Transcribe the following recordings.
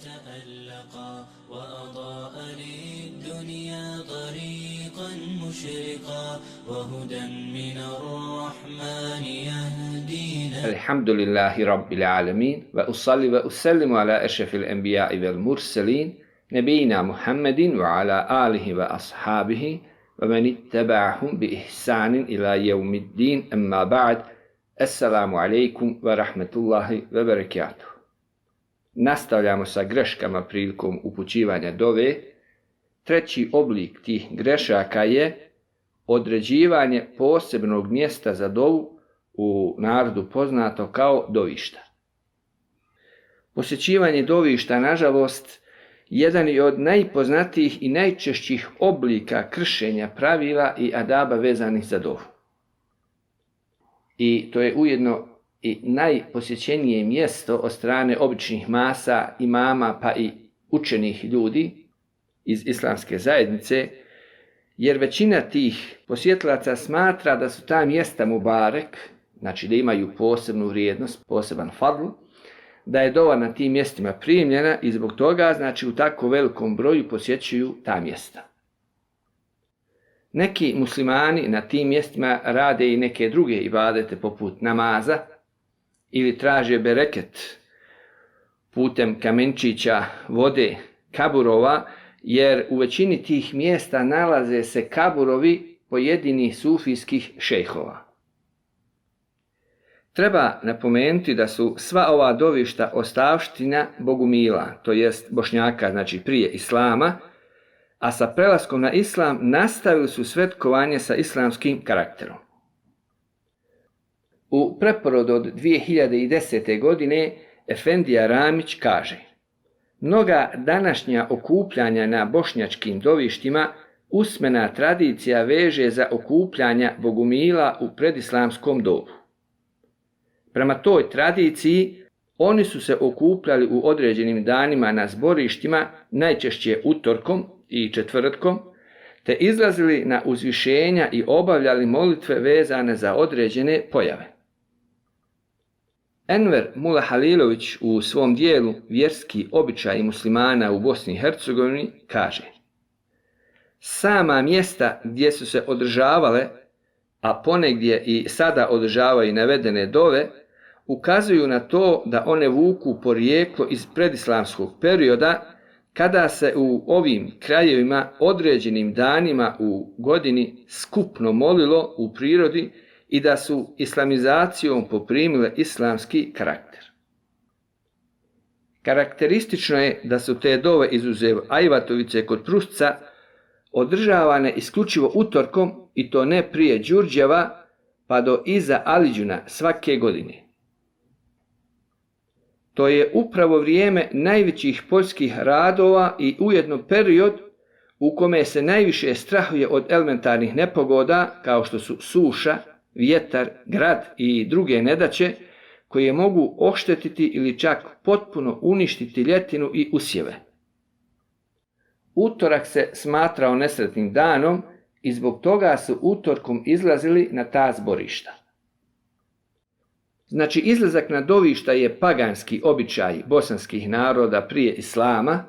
تألقا وأضاء للدنيا طريقا مشرقا وهدى من الرحمن يهدينا. الحمد لله رب العالمين وأصلي وأسلم على أشرف الأنبياء والمرسلين نبينا محمد وعلى آله وأصحابه ومن اتبعهم بإحسان إلى يوم الدين أما بعد. Assalamu alaikum wa rahmatullahi wa barakatuh. Nastavljamo sa greškama prilikom upućivanja dove. Treći oblik tih grešaka je određivanje posebnog mjesta za dovu, u narodu poznato kao dovišta. Posjećivanje dovišta, nažalost, jedan je od najpoznatijih i najčešćih oblika kršenja pravila i adaba vezanih za dovu. I to je ujedno i najposjećenije mjesto od strane običnih masa, imama pa i učenih ljudi iz islamske zajednice, jer većina tih posjetilaca smatra da su ta mjesta mubarek, znači da imaju posebnu vrijednost, poseban fadl, da je dova na tim mjestima primljena i zbog toga, znači, u tako velikom broju posjećuju ta mjesta. Neki muslimani na tim mjestima rade i neke druge ibadete poput namaza ili traže bereket putem kamenčića, vode, kaburova, jer u većini tih mjesta nalaze se kaburovi pojedinih sufijskih šejhova. Treba napomenuti da su sva ova dovišta ostavština bogumila, to jest Bošnjaka, znači prije islama, a sa prelaskom na islam nastavili su svetkovanje sa islamskim karakterom. U preporodu od 2010. godine Efendija Ramić kaže: mnoga današnja okupljanja na bošnjačkim dovištima usmena tradicija veže za okupljanja bogumila u predislamskom dobu. Prema toj tradiciji oni su se okupljali u određenim danima na zborištima, najčešće utorkom i četvrtkom, te izlazili na uzvišenja i obavljali molitve vezane za određene pojave. Enver Mula Halilović u svom dijelu Vjerski običaji muslimana u Bosni i Hercegovini kaže: sama mjesta gdje su se održavale, a ponegdje i sada održavaju navedene dove, ukazuju na to da one vuku porijeklo iz predislamskog perioda, kada se u ovim krajevima određenim danima u godini skupno molilo u prirodi i da su islamizacijom poprimile islamski karakter. Karakteristično je da su te dove, izuzev Ajvatovice kod Prusca, održavane isključivo utorkom, i to ne prije Đurđeva pa do iza Aliđuna svake godine. To je upravo vrijeme najvećih poljskih radova i ujedno period u kome se najviše strahuje od elementarnih nepogoda kao što su suša, vjetar, grad i druge nedaće koje mogu oštetiti ili čak potpuno uništiti ljetinu i usjeve. Utorak se smatrao nesretnim danom i zbog toga su utorkom izlazili na ta zborišta. Znači, izlazak na dovišta je paganski običaj bosanskih naroda prije islama.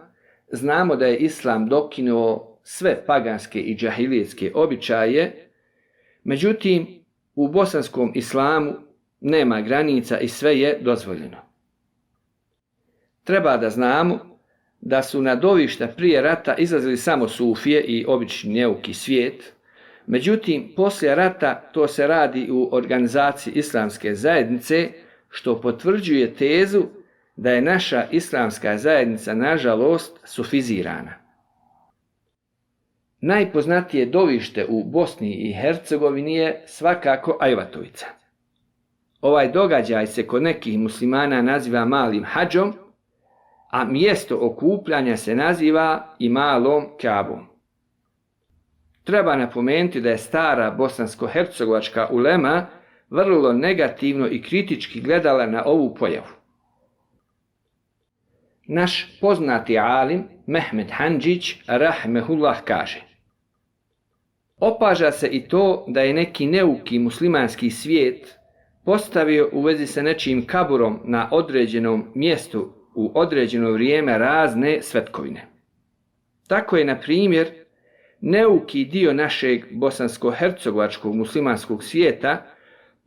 Znamo da je islam dokinuo sve paganske i džahilijetske običaje, međutim, u bosanskom islamu nema granica i sve je dozvoljeno. Treba da znamo da su na dovišta prije rata izlazili samo sufije i obični neuki svijet. Međutim, poslije rata to se radi u organizaciji islamske zajednice, što potvrđuje tezu da je naša islamska zajednica, nažalost, sufizirana. Najpoznatije dovište u Bosni i Hercegovini je svakako Ajvatovica. Ovaj događaj se kod nekih muslimana naziva malim hadžom, a mjesto okupljanja se naziva i malom Kabom. Treba napomenuti da je stara bosansko-hercegovačka ulema vrlo negativno i kritički gledala na ovu pojavu. Naš poznati alim Mehmed Handžić rahmehullah kaže: opaža se i to da je neki neuki muslimanski svijet postavio u vezi sa nečijim kaburom na određenom mjestu u određeno vrijeme razne svetkovine. Tako je, na primjer, neuki dio našeg bosansko-hercegovačkog muslimanskog svijeta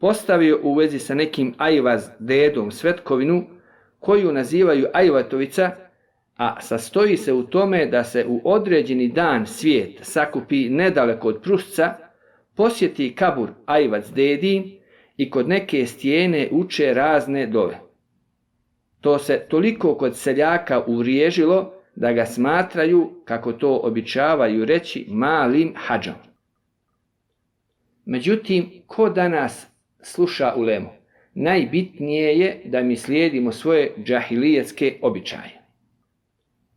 postavio u vezi sa nekim ajvaz dedom svetkovinu koju nazivaju Ajvatovica, a sastoji se u tome da se u određeni dan svijet sakupi nedaleko od Prusca, posjeti kabur Ajvac dedi i kod neke stijene uče razne dove. To se toliko kod seljaka uvriježilo da ga smatraju, kako to običavaju reći, malim hadžom. Međutim, ko danas sluša ulemu? Najbitnije je da mi slijedimo svoje džahilijetske običaje.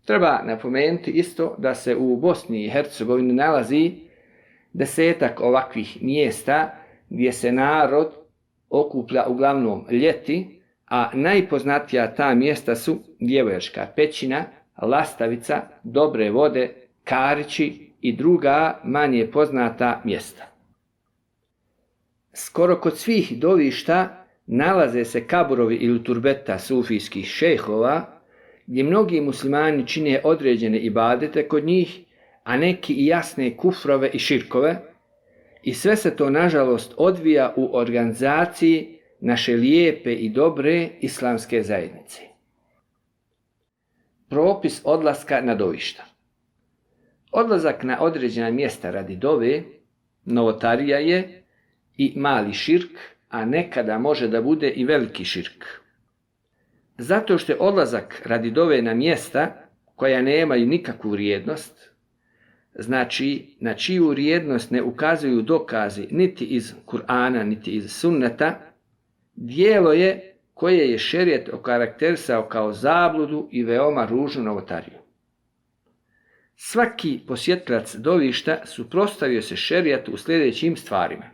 Treba napomenuti isto da se u Bosni i Hercegovini nalazi 10 ovakvih mjesta gdje se narod okuplja uglavnom ljeti, a najpoznatija ta mjesta su Djevojačka pećina, Lastavica, Dobre vode, Karići i druga manje poznata mjesta. Skoro kod svih dovišta nalaze se kaburovi ili turbeta sufijskih šejhova, gdje mnogi muslimani čine određene ibadete kod njih, a neki i jasne kufrove i širkove, i sve se to nažalost odvija u organizaciji naše lijepe i dobre islamske zajednice. Propis odlaska na dovišta. Odlazak na određena mjesta radi dove novotarija je i mali širk, a nekada može da bude i veliki širk. Zato što je odlazak radi dove na mjesta koja nemaju nikakvu vrijednost, znači na čiju vrijednost ne ukazuju dokazi niti iz Kur'ana niti iz sunneta, djelo je koje je šerijet okarakterisao kao zabludu i veoma ružnu novotariju. Svaki posjetilac dovišta suprotstavio se šerijetu u sljedećim stvarima.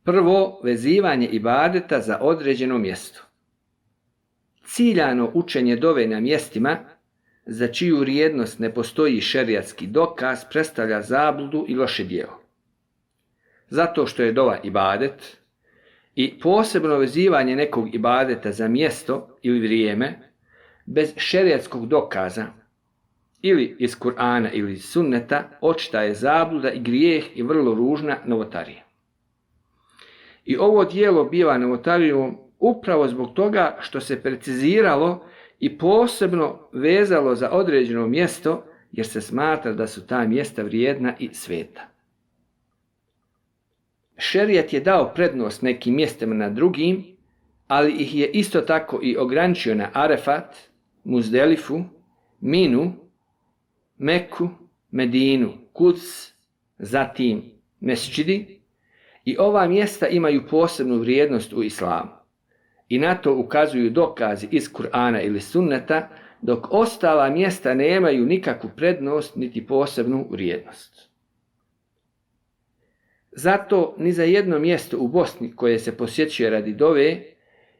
Prvo, vezivanje ibadeta za određeno mjesto. Ciljano učenje dove na mjestima za čiju vrijednost ne postoji šerijatski dokaz predstavlja zabludu i loše djelo. Zato što je dova ibadet i posebno vezivanje nekog ibadeta za mjesto ili vrijeme bez šerijatskog dokaza ili iz Kur'ana ili iz sunneta očita je zabluda i grijeh i vrlo ružna novotarija. I ovo djelo biva novotarijom upravo zbog toga što se preciziralo i posebno vezalo za određeno mjesto, jer se smatra da su ta mjesta vrijedna i sveta. Šerijat je dao prednost nekim mjestima na drugim, ali ih je isto tako i ograničio na Arefat, Muzdelifu, Minu, Meku, Medinu, Kuds, zatim mesčidi, i ova mjesta imaju posebnu vrijednost u islamu. I na to ukazuju dokazi iz Kur'ana ili sunneta, dok ostala mjesta nemaju nikakvu prednost niti posebnu vrijednost. Zato ni za jedno mjesto u Bosni koje se posjećuje radi dove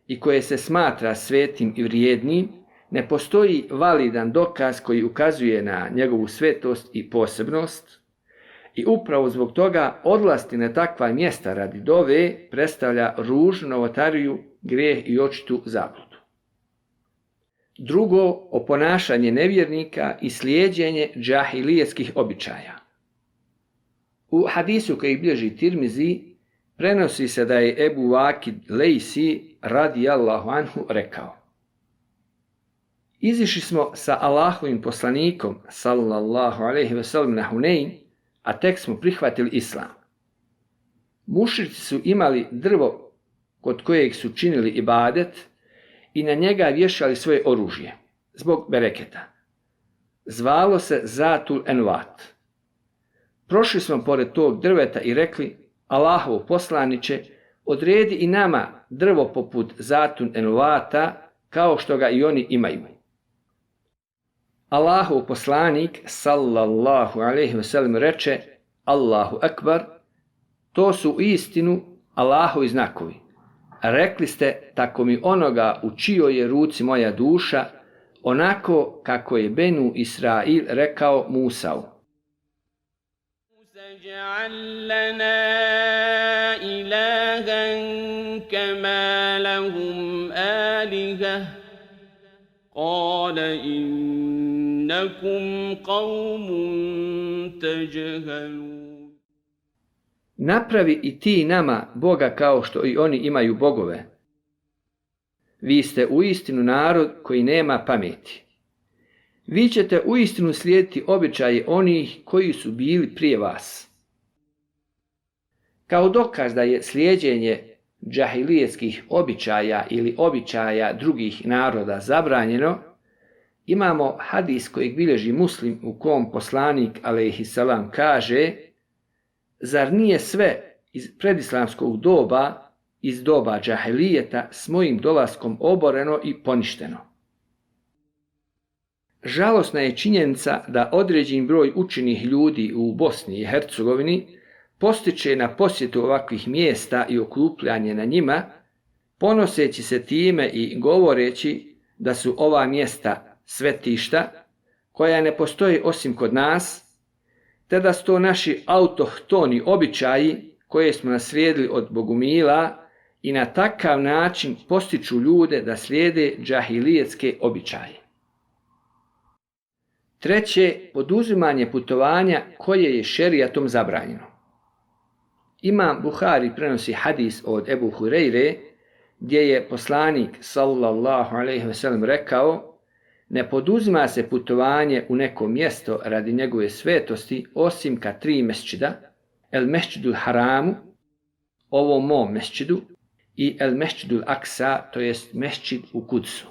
i koje se smatra svetim i vrijednim, ne postoji validan dokaz koji ukazuje na njegovu svetost i posebnost, i upravo zbog toga odlasti na takva mjesta radi dove predstavlja ružnu novotariju, grijeh i očitu zabludu. Drugo, oponašanje nevjernika i slijeđenje džahilijetskih običaja. U hadisu koji bilježi Tirmizi prenosi se da je Ebu Vakid Lejsi radijallahu anhu rekao: Izišli smo sa Allahovim poslanikom sallallahu alejhi ve sellem na Hunein, a tek smo prihvatili islam. Mušrici su imali drvo kod kojeg su činili ibadet i na njega vješali svoje oružje, zbog bereketa. Zvalo se Zatul Envat. Prošli smo pored tog drveta i rekli: Allahov poslaniće, odredi i nama drvo poput Zatul Envata, kao što ga i oni imaju. Allahov poslanik sallallahu alejhi ve sellem reče: Allahu ekbar, to su istinu Allahovi znakovi. Rekli ste, tako mi onoga u čijoj je ruci moja duša, onako kako je Benu Israil rekao Musau. اجعل لنا إلها كما لهم آلهة قال إنكم قوم تجهلون. Napravi i ti nama Boga kao što i oni imaju bogove. Vi ste uistinu narod koji nema pameti. Vi ćete uistinu slijediti običaje onih koji su bili prije vas. Kao dokaz da je slijeđenje džahilijetskih običaja ili običaja drugih naroda zabranjeno, imamo hadis kojeg bilježi Muslim u kom poslanik alejhiselam kaže: zar nije sve iz predislamskog doba, iz doba džahilijeta s mojim dolaskom oboreno i poništeno? Žalosna je činjenica da određen broj učenih ljudi u Bosni i Hercegovini postiče na posjetu ovakvih mjesta i okupljanje na njima, ponoseći se time i govoreći da su ova mjesta svetišta koja ne postoji osim kod nas, te da su to naši autohtoni običaji koje smo naslijedili od bogumila i na takav način postiču ljude da slijede džahilijetske običaje. Treće, poduzimanje putovanja koje je šerijatom zabranjeno. Imam Buhari prenosi hadis od Ebu Hureyre gdje je poslanik sallallahu alejhi ve sellem rekao: ne poduzima se putovanje u neko mjesto radi njegove svetosti osim ka 3 mesdžida: el mesdžidul haramu, ovom mom mesdžidu, i el mesdžidul aksa, to jest mesdžid u Kudsu.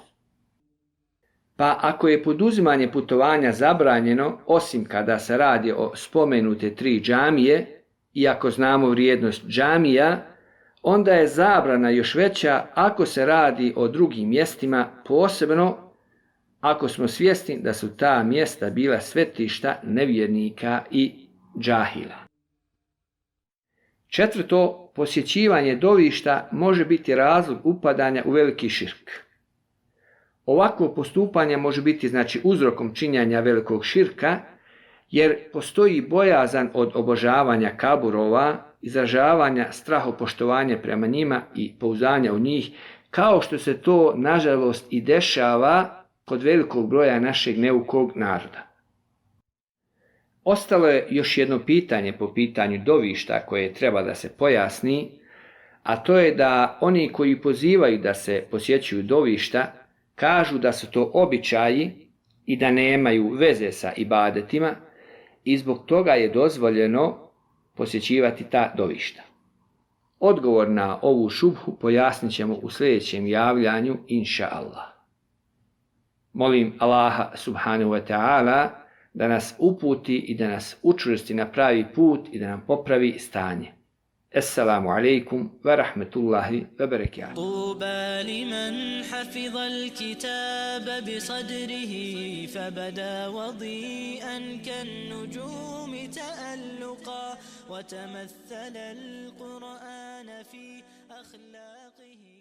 Pa ako je poduzimanje putovanja zabranjeno osim kada se radi o spomenute 3 džamije, iako znamo vrijednost džamija, onda je zabrana još veća ako se radi o drugim mjestima, posebno ako smo svjesni da su ta mjesta bila svetišta nevjernika i džahila. Četvrto, posjećivanje dovišta može biti razlog upadanja u veliki širk. Ovakvo postupanje može biti uzrokom činjenja velikog širka, jer postoji bojazan od obožavanja kaburova, izražavanja strahopoštovanja prema njima i pouzdanja u njih, kao što se to nažalost i dešava kod velikog broja našeg neukog naroda. Ostalo je još jedno pitanje po pitanju dovišta koje treba da se pojasni, a to je da oni koji pozivaju da se posjećuju dovišta kažu da su to običaji i da nemaju veze sa ibadetima, i zbog toga je dozvoljeno posjećivati ta dovišta. Odgovor na ovu šubhu pojasnit ćemo u sljedećem javljanju, inša Allah. Molim Allaha subhanahu wa ta'ala da nas uputi i da nas učvrsti na pravi put i da nam popravi stanje. Assalamu alaikum wa rahmatullahi wa barakatuh. طوبى لمن حفظ الكتاب بصدره فبدا وضيئا كالنجوم تألقا وتمثل القرآن في أخلاقه